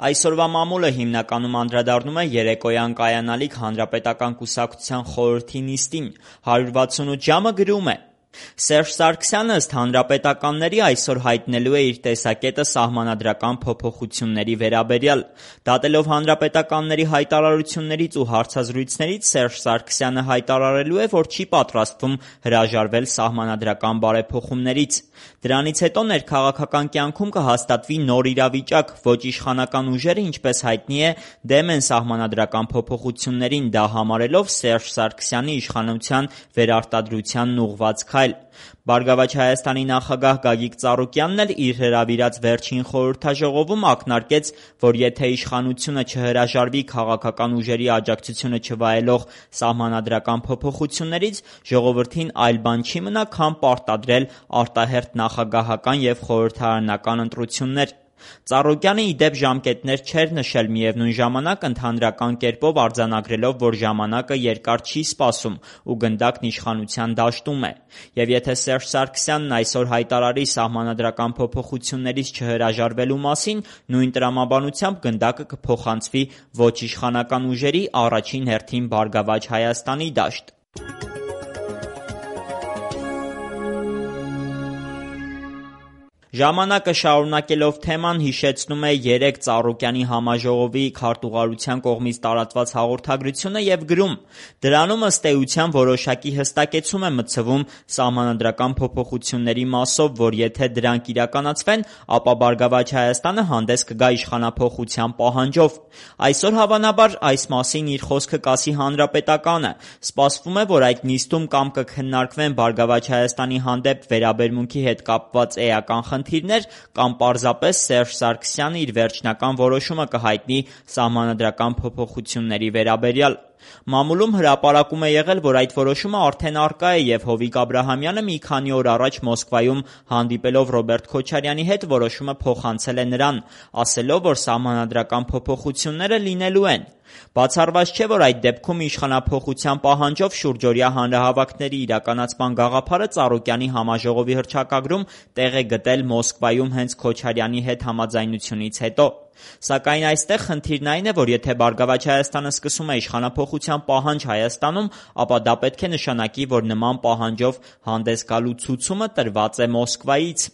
Այսօրվա մամուլը հիմնականում անդրադառնում է երեկոյան կայանալիք Հանրապետական կուսակցության խորհրդի նիստին։ 168 ժամը գրում է. Սերժ Սարգսյանը ըստ հանրապետականների այսօր հայտնելու է իր տեսակետը սահմանադրական փոփոխությունների վերաբերյալ։ Դատելով հանրապետականների հայտարարություններից ու հարցազրույցներից Սերժ Սարգսյանը հայտարարելու է, որ չի պատրաստվում հրաժարվել սահմանադրական բարեփոխումներից։ Դրանից հետո ներքաղաքական կյանքում կհաստատվի նոր իրավիճակ, ոչ իշխանական ուժերը, ինչպես հայտնի է, դեմ են սահմանադրական փոփոխություններին, դա համարելով Սերժ Սարգսյանի իշխանության վերարտադրությանն ուղղված քայլ։ Բարգավաճ Հայաստանի նախագահ Գագիկ Ծառուկյանն էլ իր հրավիրած վերջին խորհրդաժողովում ակնարկեց, որ եթե իշխանությունը չհրաժարվի քաղաքական ուժերի աջակցությունը չվայելող սահմանադրական փոփոխություններից, ժողովրդին այլ բան չի մնա, քան պարտադրել արտահերթ նախագահական և խորհրդարանական ընտրություններ։ Ծառուկյանը ի դեպ ժամկետներ չէր նշել, միևնույն ժամանակ ընդհանրական կերպով արձանագրելով, որ ժամանակը երկար չի սպասում ու գնդակն իշխանության դաշտում է։ Եվ եթե Սերժ Սարգսյանն այսօր հայտարարի սահմանադրական փոփոխություններից չհրաժարվելու մասին, նույն տրամաբանությամբ գնդակը կփոխանցվի ոչ իշխանական ուժերի, առաջին հերթին Բարգավաճ Հայաստանի դաշտ։ Ժամանակը շարունակելով թեման հիշեցնում է 3 Ծառուկյանի համաժողովի քարտուղարության կողմից տարածված հաղորդագրությունը և գրում. դրանում ըստ էության որոշակի հստակեցում է մտցվում սահմանադրական փոփոխությունների մասով, որ եթե դրանք իրականացվեն, ապա Բարգավաճ Հայաստանը հանդես կգա իշխանափոխության պահանջով։ Այսօր հավանաբար այս մասին իր խոսքը կասի Հանրապետականը։ Սպասվում է, որ այդ նիստում կամ կքննարկվեն Բարգավաճ Հայաստանի հանդեպ վերաբերմունքի հետ կապված էական խնդիրներ, կամ պարզապես Սերժ Սարգսյանը իր վերջնական որոշումը կհայտնի սահմանադրական փոփոխությունների վերաբերյալ։ Մամուլում հրապարակում է եղել, որ այդ որոշումը արդեն առկա է և Հովիկ Աբրահամյանը մի քանի օր առաջ Մոսկվայում հանդիպելով Ռոբերտ Քոչարյանի հետ որոշումը փոխանցել է նրան, ասելով, որ սահմանադրական փոփոխությունները լինելու են։ Բացառված չէ, որ այդ դեպքում իշխանափոխության պահանջով շուրջօրյա հանրահավաքների իրականացման գաղափարը Ծառուկյանի համաժողովի հռչակագրում տեղ է գտել Մոսկվայում հենց Քոչարյանի հետ համաձայնությունից հետո։ Սակայն այստեղ խնդիրն այն է, որ եթե Բարգավաճ Հայաստանը սկսում է իշխանափոխության պահանջ Հայաստանում, ապա դա պետք է նշանակի, որ նման պահանջով հանդես գալու ցուցումը տրված է Մոսկվայից։